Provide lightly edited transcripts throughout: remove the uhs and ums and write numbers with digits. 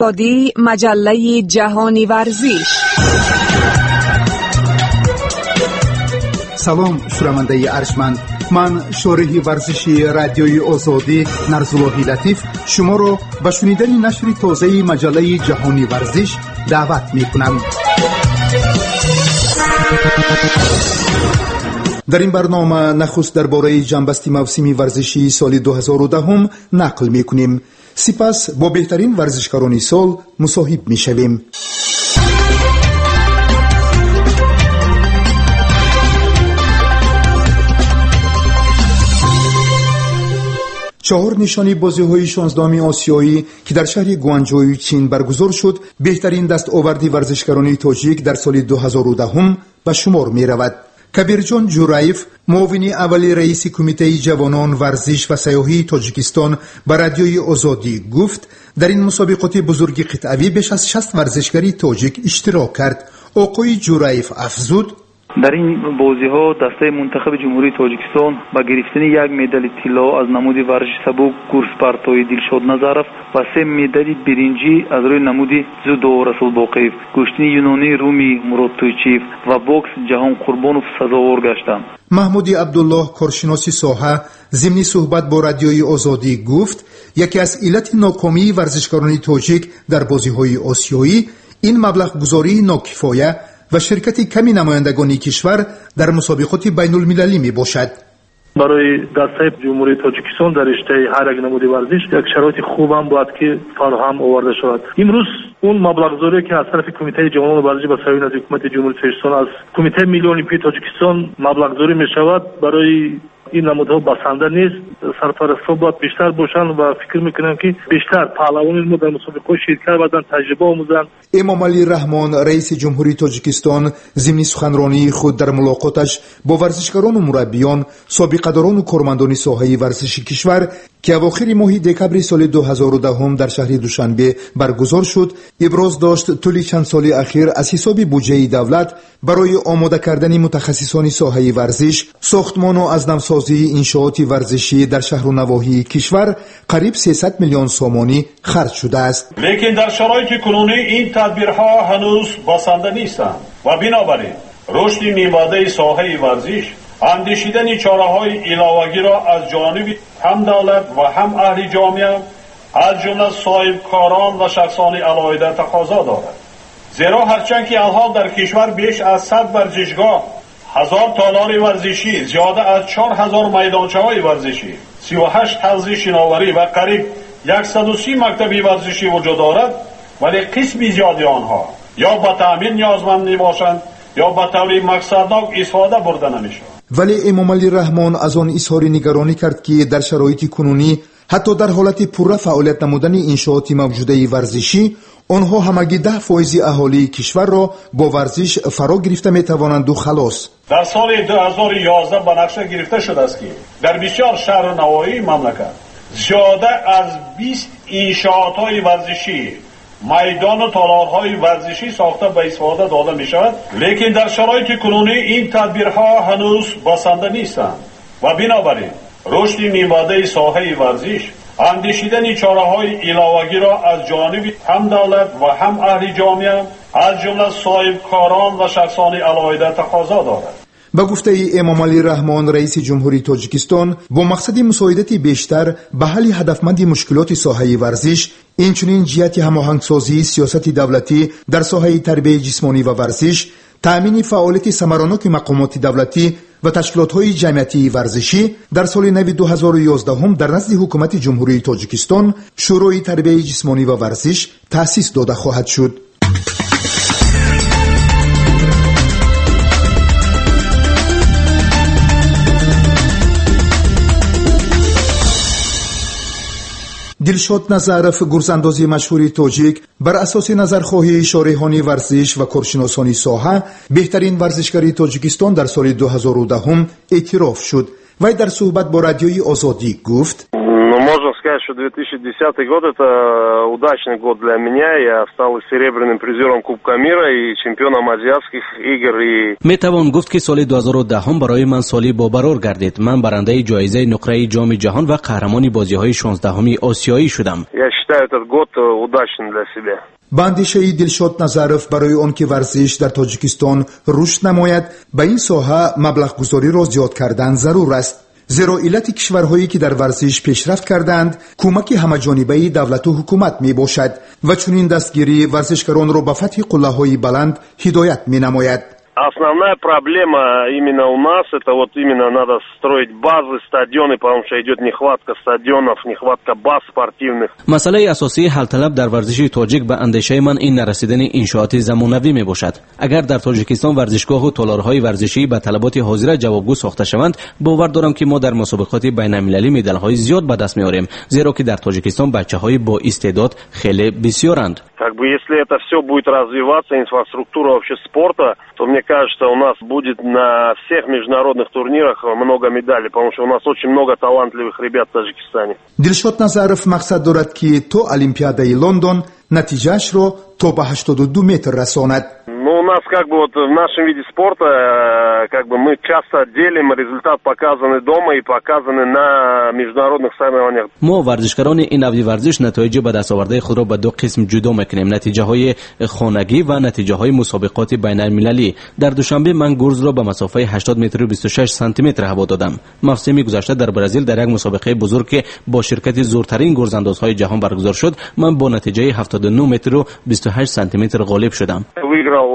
Маҷаллаи ҷаҳони варзиш. Салом, шунавандаи арҷманд. Ман, шореҳи варзиши Радиои Озодӣ Нарзуллоҳи Латиф, шуморо ба шунидани нашри тозаи маҷаллаи ҷаҳони варзиш даъват мекунам. Дар ин барнома нахуст дар бораи ҷанбасти мавсими варзишии соли 2010 нақл мекунем. Сипас бо беҳтарин варзишгарони сол мусоҳиб мешавем. Чаҳор нишони бозиҳои 16-уми осиёӣ, ки дар шаҳри Гуанҷои Чин баргузор шуд, беҳтарин дастоварди варзишгарони тоҷик дар соли 2010 ба шумор меравад. Кабирҷон Ҷураев, муовини аввали раиси Кумитаи ҷавонон, варзиш ва сайёҳии Тоҷикистон, ба Радиои Озодӣ гуфт, дар ин мусобиқоти бузурги қитъавӣ беш аз 60 варзишгари тоҷик иштирок кард. Оқои Ҷураев афзуд: Дар ин бозиҳо дастаи мунтахаби Ҷумҳурии Тоҷикистон ба гирифтани як медали тилло аз намуди варзиши сабук гурзпартоӣ Дилшод Назаров ва се медали биринҷӣ аз рӯи намуди дзюдо Расул Боқиев, гӯштини юнонии румӣ Мурод Тӯйчиев ва бокс Ҷаҳон Қурбонов сазовор гаштанд. Маҳмуди Абдуллоҳ, коршиноси соҳа, зимни суҳбат бо Радиои Озодӣ гуфт, яке аз иллати нокомии варзишгарони тоҷик дар бозиҳои осиёӣ ин маблағгузории нокифоя ва ширкати ками намояндагони кишвар дар мусобиқоти байнулмилалӣ мебошад. Барои дастаи Ҷумҳурии Тоҷикистон дар риштаи ҳар як намуди варзиш як шароити хубам бояд ки фароҳам оварда шавад. Имрӯз он маблағгузорие, ки аз тарафи Кумитаи ҷавонону варзиш ба саҳои назди Ҳукумати Ҷумҳурии Тоҷикистон, аз Кумитаи Миллии Олимпии Тоҷикистон маблағгузорӣ мешавад, барои ин намудҳо басанда нест. Сарпарастҳо бояд бештар бошанд ва фикр мекунам, ки бештар паҳлавони мо дар мусобиқаҳо ширкат варзанд, таҷриба омӯзанд. Эмомалӣ Раҳмон, раиси Ҷумҳурии Тоҷикистон, зимни суханронии худ дар мулоқоташ бо варзишгарону мураббиён, собиқадорону кормандони соҳаи варзиши кишвар, ки авохири моҳи декабри соли 2010 дар шаҳри Душанбе баргузор шуд, иброз дошт, тӯли чанд соли ахир аз ҳисоби буҷаи давлат барои омода кардани мутахассисони соҳаи варзиш, сохтмону аз навсозии иншооти варзишӣ дар шаҳру навоҳии кишвар қариб 300 миллион сомонӣ харҷ шудааст. Лекин дар шароити кунунӣ ин тадбирҳо ҳанӯз басанда нестанд ва бинобар ин рушди минбаъдаи соҳаи варзиш андешидани чораҳои иловагиро аз ҷониби ҳам давлат ва ҳам аҳли ҷомеа, аз ҷумла соҳибкорон ва шахсони алоҳида тақозо дорад. Зеро ҳарчанд ки алҳол дар кишвар беш аз 100 варзишгоҳ, 1000 толори варзишӣ, зиёда аз 4000 майдончаҳои варзишӣ, 38 ҳавзи шиноварӣ ва қариб 130 мактаби варзишӣ вуҷуд дорад, вале қисми зиёди онҳо ё ба таъмир ниёзманд мебошанд, ё ба таври мақсаднок истифода бурда намешаванд. Вале Эмомалӣ Раҳмон аз он изҳори нигаронӣ кард, ки дар шароити кунунӣ, ҳатто дар ҳолати пурра фаъолият намудани иншооти мавҷудаи варзишӣ, онҳо ҳамагӣ 10 фоизи аҳолии кишварро бо варзиш фаро гирифта метавонанду халос. Дар соли 2011 ба нақша гирифта шудааст, ки дар бисёр шаҳру навоҳии мамлакат зиёда аз 20 иншоотҳои варзишӣ, майдону толорҳои варзишӣ сохта ба истифода дода мешавад. Лекин дар шароити кунунӣ ин тадбирҳо ҳанӯз басанда нестанд ва бинобар ин рушди минбаъдаи соҳаи варзиш андешидани чораҳои иловагиро аз ҷониби ҳам давлат ва ҳам аҳли ҷомеа, аз ҷумла соҳибкорон ва шахсони алоҳида тақозо дорад. Ба гуфтаи Эмомалӣ Раҳмон, раиси Ҷумҳурии Тоҷикистон, бо мақсади мусоидати бештар ба ҳалли ҳадафманди мушкилоти соҳаи варзиш, инчунин ҷиҳати ҳамоҳангсозии сиёсати давлатӣ дар соҳаи тарбияи ҷисмонӣ ва варзиш, таъмини фаъолияти самароноки мақомоти давлатӣ ва ташкилотҳои ҷамъиятии варзишӣ, дар соли нави 2011 дар назди Ҳукумати Ҷумҳурии Тоҷикистон Шӯрои тарбияи ҷисмонӣ ва варзиш таъсис дода хоҳад шуд. Дилшод Назаров, гурзандози машҳури тоҷик, бар асоси назархоҳии шореҳони варзиш ва коршиносони соҳа беҳтарин варзишгари Тоҷикистон дар соли 2010 эътироф шуд. Вай дар суҳбат бо Радиои Озодӣ гуфт: Ну, Можно сказать, что 2010 год – это удачный год для меня. Я стал и серебряным призером Кубка мира, и чемпионом азиатских игр. И Метавон гуфт, ки соли 2010 барои ман соли бобарор гардид. Ман барандаи ҷоизаи нуқраи Ҷоми ҷаҳон ва қаҳрамони бозиҳои 16-уми осиёӣ шудам. Я считаю этот год удачным для себя. Ба андешаи Дилшод Назаров, барои он ки варзиш дар Тоҷикистон рушд намояд, ба ин соҳа маблағгузориро зиёд кардан зарур аст, зеро иллати кишварҳое ки дар варзиш пешрафт кардаанд, кӯмаки ҳамаҷонибаи давлату ҳукумат мебошад ва чунин дастгирӣ варзишгаронро ба фатҳи қуллаҳои баланд ҳидоят менамояд. Основная проблема именно у нас, это вот именно надо строить базы, стадионы, потому что идет нехватка стадионов, нехватка баз спортивных. Масъалаи асосии ҳалталаб дар варзиши тоҷик, ба андешаи ман, ин нарасидани иншооти замонавӣ мебошад. Агар дар Тоҷикистон варзишгоҳу толорҳои варзишӣ ба талаботи ҳозира ҷавобгӯ сохта шаванд, бовар дорам, ки мо дар мусобиқоти байналмилалӣ медалҳои зиёд ба даст меорем, зеро ки дар Тоҷикистон бачаҳои боистеъдод хеле бисёранд. Как бы если это все будет развиваться, инфраструктура вообще спорта, то мне кажется, у нас будет на всех международных турнирах много медалей, потому что у нас очень много талантливых ребят в Таджикистане. Дилшод Назаров мақсад дорад, ки то Олимпиадаи Лондон натиҷаашро то ба 82 метр расонад. Ну, у нас как бы вот в нашем виде спорта, как бы мы часто делим результат, показанный дома, и показанный на международных соревнованиях. Мо, варзишгарони ин навъи варзиш, натоиҷи ба дастовардаи худро ба ду қисм ҷудо мекунем: натиҷаҳои хонагӣ ва натиҷаҳои мусобиқоти байналмилалӣ. Дар Душанбе ман гурзро ба масофаи 80 метру 26 сантиметр ҳаво додам. Мавсими гузашта дар Бразил, дар як мусобиқаи бузург, ки бо ширкати зуртарин гурзандозҳои ҷаҳон баргузор шуд, ман бо натиҷаи 79 метру 28 сантиметр ғолиб шудам. Выиграл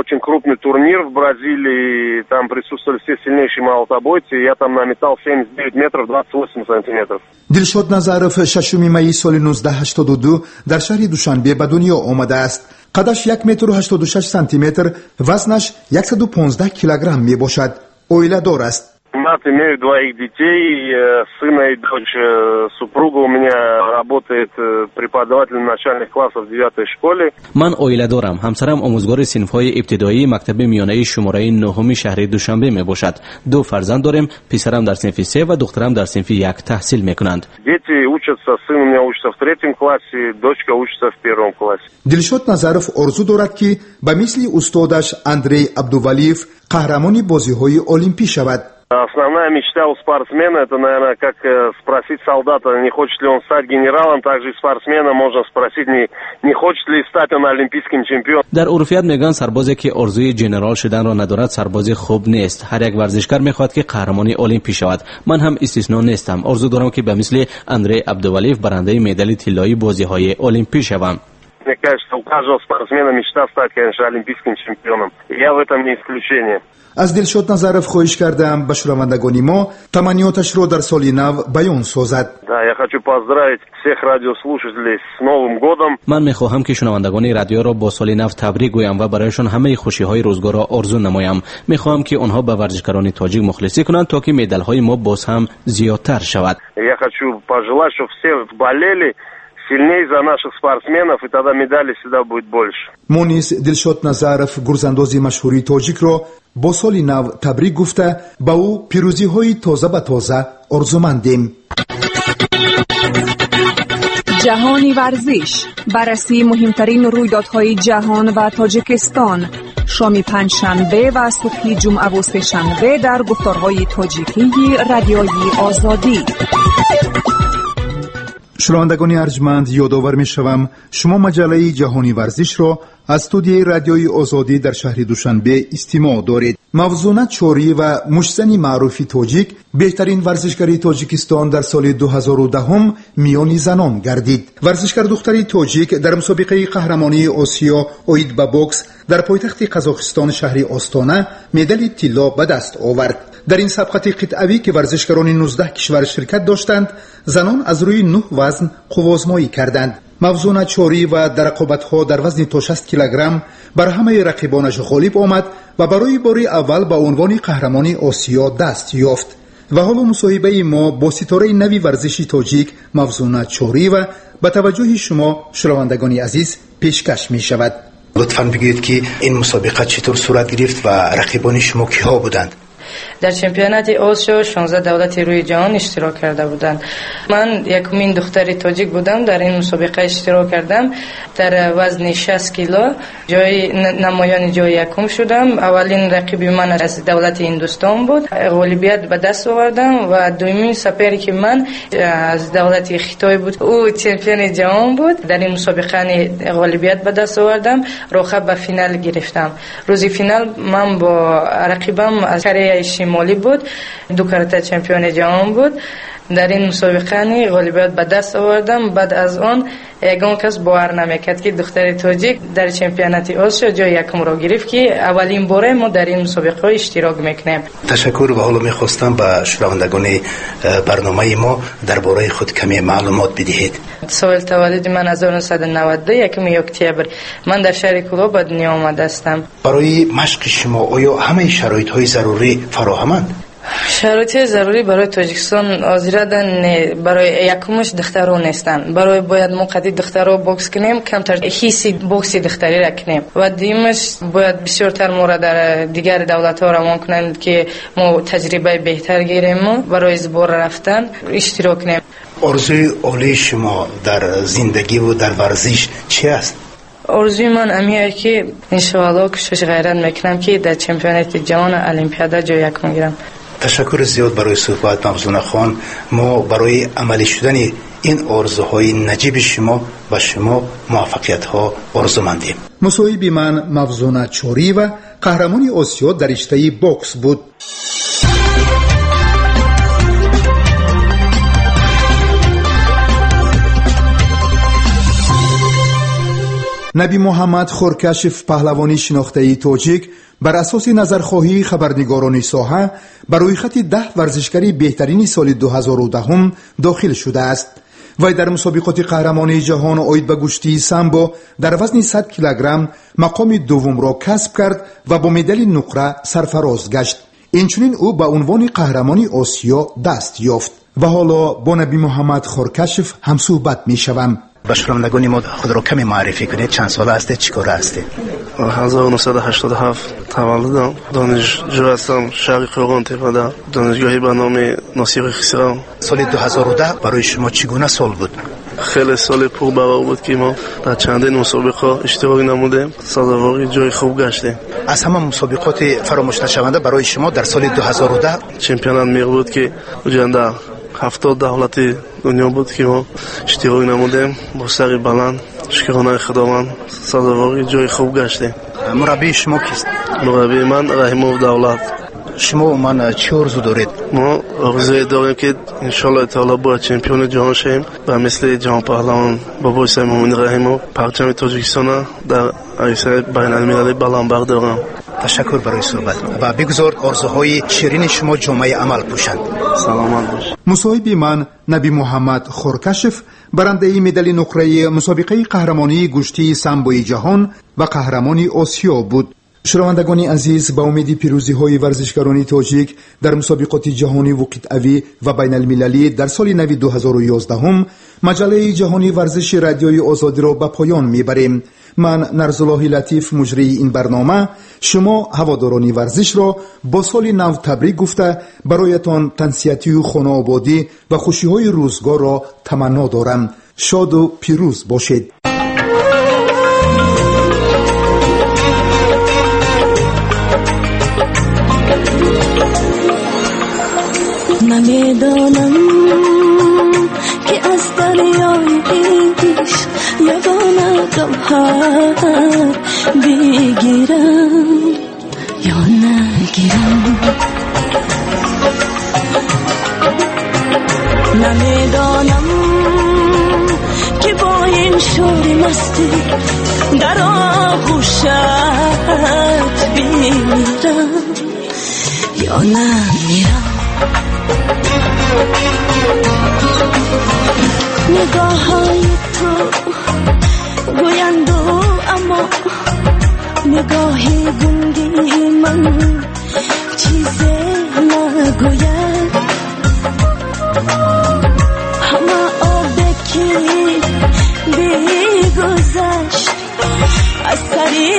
очень крупный турнир в Бразилии, там присутствовали все сильнейшие молотобойцы, я там наметал 79 метров 28 сантиметров. Дилшод Назаров 6 майи соли 1982 дар шаҳри Душанбе ба дунё омадааст. Қадаш 1 метру 86 сантиметр, вазнаш 115 килограмм мебошад. Оиладор аст. Женат, имею двоих детей, сына и дочь. Супруга у меня работает преподавателем начальных классов в девятой школе. Ман оиладорам. Ҳамсарам омӯзгори синфҳои ибтидоии мактаби миёнаи шумораи нуҳуми шаҳри Душанбе мебошад. Ду фарзанд дорем: писарам дар синфи се ва духтарам дар синфи як таҳсил мекунанд. Дети учатся, сын у меня учится в третьем классе, дочка учится в первом классе. Дилшод Назаров орзу дорад, ки ба мисли устодаш Андрей Абдувалиев қаҳрамони бозиҳои олимпӣ шавад. Основная мечта у спортсмена, это, наверное, как спросить солдата, не хочет ли он стать генералом, также и спортсмена можно спросить, не хочет ли стать он олимпийским чемпионом. Дар урфият мегӯянд, сарбозе ки орзуи ҷенерал шуданро надорад, сарбози хуб нест. Ҳар як варзишгар мехоҳад, ки қаҳрамони олимпӣ шавад. Ман ҳам истисно нестам. Орзу дорам, ки ба мисли Андрей Абдувалиев барандаи медали тиллоии бозиҳои олимпӣ шавам. Мне кажется, у каждого спортсмена мечта стать, конечно, олимпийским чемпионом. И я в этом не исключение. Аз Дилшод Назаров хоҳиш кардам, ба шунавандагони мо таманниёташро дар соли нав баён созад. Да, я хочу поздравить всех радиослушателей с Новым годом. Ман мехоҳам, ки шунавандагони радиоро бо соли нав табрик гӯям ва барояшон ҳамаи хушиҳои рӯзгорро орзу намоям. Мехоҳам, ки онҳо ба варзишгарони тоҷик мухлисӣ кунанд, то ки медалҳои мо боз ҳам зиёдтар шавад. Я хочу пожелать, чтобы все болели сильнее за наших спортсменов, и тогда медали всегда будет больше. Мо низ Дилшод Назаров, гурзандози машҳури тоҷикро, бо соли нав табрик гуфта, ба ӯ пирӯзиҳои тоза ба тоза орзумандем. Ҷаҳони варзиш: баррасии муҳимтарин рӯйдодҳои ҷаҳон ва Тоҷикистон, шоми панҷшанбе ва субҳи ҷумъаву сешанбе дар гуфторҳои тоҷикии Радиои Озодӣ. Шунавандагони арҷманд, ёдовар мешавам, шумо маҷаллаи Ҷаҳони варзишро аз студияи Радиои Озодӣ дар шаҳри Душанбе истимоъ доред. Мавзуна Чориева, муштзани маъруфи тоҷик, беҳтарин варзишгари Тоҷикистон дар соли 2010 миёни занон гардид. Варзишгар духтари тоҷик дар мусобиқаи қаҳрамонии Осиё оид ба бокс дар пойтахти Қазоқистон, шаҳри Остона, медали тилло ба даст овард. Дар ин сабқати қитъавӣ, ки варзишгарони 19 кишвар ширкат доштанд, занон аз рӯи нӯҳ вазн қуввозмоӣ карданд. Мавзуна Чориева дар рақобатҳо дар вазни то 60 килограмм бар ҳамаи рақибонаш ғолиб омад ва барои бори аввал ба унвони қаҳрамони Осиё даст ёфт. Ва ҳоло мусоҳибаи мо бо ситораи нави варзиши тоҷик Мавзуна Чориева ба таваҷҷӯҳи шумо, шунавандагони азиз, пешкаш мешавад. Лутфан бигӯед, ки ин мусобиқа чӣ тур сурат гирифт ва рақибони шумо киҳо буданд? Дар чемпионати Осиё 16 давлати рӯи ҷаҳон иштирок карда буданд. Ман якумин духтари тоҷик будам, дар ин мусобиқа иштирок кардам. Дар вазни 60 кило ҷои намоёни ҷои якум шудам. Аввалин рақиби ман аз давлати Ҳиндустон буд. Ғолибият ба даст овардам ва дуюмин соперники ман аз давлати Хитой буд. Ӯ чемпиони ҷаҳон буд. Дар ин мусобиқа ғолибият ба даст овардам, роҳ ба финал гирифтам. Рӯзи финал ман бо рақибам аз Кореяи Шимолӣ буд, ду карата чемпиони ҷаҳон буд. Дар ин мусобиқа ғолибият ба даст овардам. Баъд аз он ягон кас бовар намекард, ки духтари тоҷик дар чемпионати Осиё ҷои якумро гирифт, ки аввалин боре мо дар ин мусобиқаҳо иштирок мекунем. Ташаккур. Ва ҳоло мехостам ба шунавандагони барномаи мо дар бораи худ каме маълумот бидиҳед. Соли таваллуди ман 1992, 1 октябр. Ман дар шаҳри Кӯлоб ба дунё омадаастам. Барои машқи шумо оё ҳамаи шароитҳои зарурӣ фароҳаманд? Шароити зарурӣ барои Тоҷикистон ҳозирадан не. Барои якумаш духтаро нестанд. Барои бояд мо қади духтаро бокс кунем, камтар ҳисси бокси духтариро кунем. Ва дуюмаш бояд бисёртар моро дар дигар давлатҳо равон кунанд, ки мо таҷрибаи беҳтар гирему барои сбор рафтан иштирок кунем. Орзуи олии шумо дар зиндагиву дар варзиш чи аст? Орзуи ман амие, ки иншоалло кӯшиш ғайрат мекунам, ки дар чемпионати ҷаҳон, олимпиада ҷои якум гирам. Ташаккури зиёд барои суҳбат, Мавзунахон. Мо барои амалӣ шудани ин орзуҳои наҷиби шумо ба шумо муваффақиятҳо орзумандем. Мусоҳиби ман Мавзуна Чориева, қаҳрамони Осиё дар риштаи бокс буд. Наби Муҳаммад Хоркашев, паҳлавони шинохтаи тоҷик, бар асоси назархоҳии хабарнигорони соҳа ба рӯйхати 10 варзишгари беҳтарини соли 2010 дохил шудааст. Вай дар мусобиқоти қаҳрамонии ҷаҳон оид ба гӯштии самбо дар вазни 100 килограмм мақоми дуввумро касб кард ва бо медали нуқра сарфароз гашт. Инчунин ӯ ба унвони қаҳрамони Осиё даст ёфт. Ва ҳоло бо Наби Муҳаммад Хоркашев ҳамсӯҳбат мешавам. Ба шунавандагони мо худро каме муаррифӣ кунед. Чанд сола ҳастед, чӣ кора ҳастед? 1987 таваллудам, донишҷӯ ҳастам, шаҳри Қӯрғонтеппада, донишгоҳи ба номи Носири Хусрав. Соли 2010 барои шумо чӣ гуна сол буд? Хеле соли пурбарор буд, ки мо дар чандин мусобиқаҳо иштирок намудем, сазовори ҷои хуб гаштем. Аз ҳама мусобиқоти фаромӯшнашаванда барои шумо дар соли 2010? Чемпионат мир буд, ки уҷанда 70 давлати дунё буд, ки мо иштирок намудем бо сари баланд, шукронаи Худованд, сазовори ҷои хуб гаштем. Мураббии шумо кист? Мураббии ман Раҳимов Давлат. Шумо умуман чӣ орзу доред? Мо орзуе дорем, ки иншоаллоҳи таоло бояд чемпиони ҷаҳон шавем ва мисли ҷаҳонпаҳлавон бобои Саймумин Раҳимов парчами Тоҷикистона дар арсаи байналмилалӣ баланд бардорам. Ташаккур барои суҳбат ва бигузор орзуҳои ширини шумо ҷомаи амал пӯшанд. Саломат бош. Мусоҳиби ман Наби Муҳаммад Хоркашев, барандаи медали нуқраи мусобиқаи қаҳрамонии гӯштии самбои ҷаҳон ва қаҳрамони Осиё буд. Шунавандагони азиз, ба умеди пирӯзиҳои варзишгарони тоҷик дар мусобиқоти ҷаҳониву қитъавӣ ва байналмилалӣ дар соли нави 2011, маҷаллаи ҷаҳонии варзиши Радиои Озодиро ба поён мебарем. Ман Нарзуллоҳи Латиф, муҷрии ин барнома, шумо ҳаводорони варзишро бо соли нав табрик гуфта, бароятон тансиҳатию хонаободӣ ва хушиҳои рӯзгорро таманно дорам. Шоду пирӯз бошед. Намедонам, ки аз дарёи ишқ ягона гавҳар бигирам ё нагирам. Намедонам, ки бо ин шӯри мастӣ дар оғӯшат бимирам ё намирам. Нигоҳҳои ту гӯянду, аммо нигоҳи гунгии ман чизе нагӯяд. Ҳама обе ки бигузашт аз сари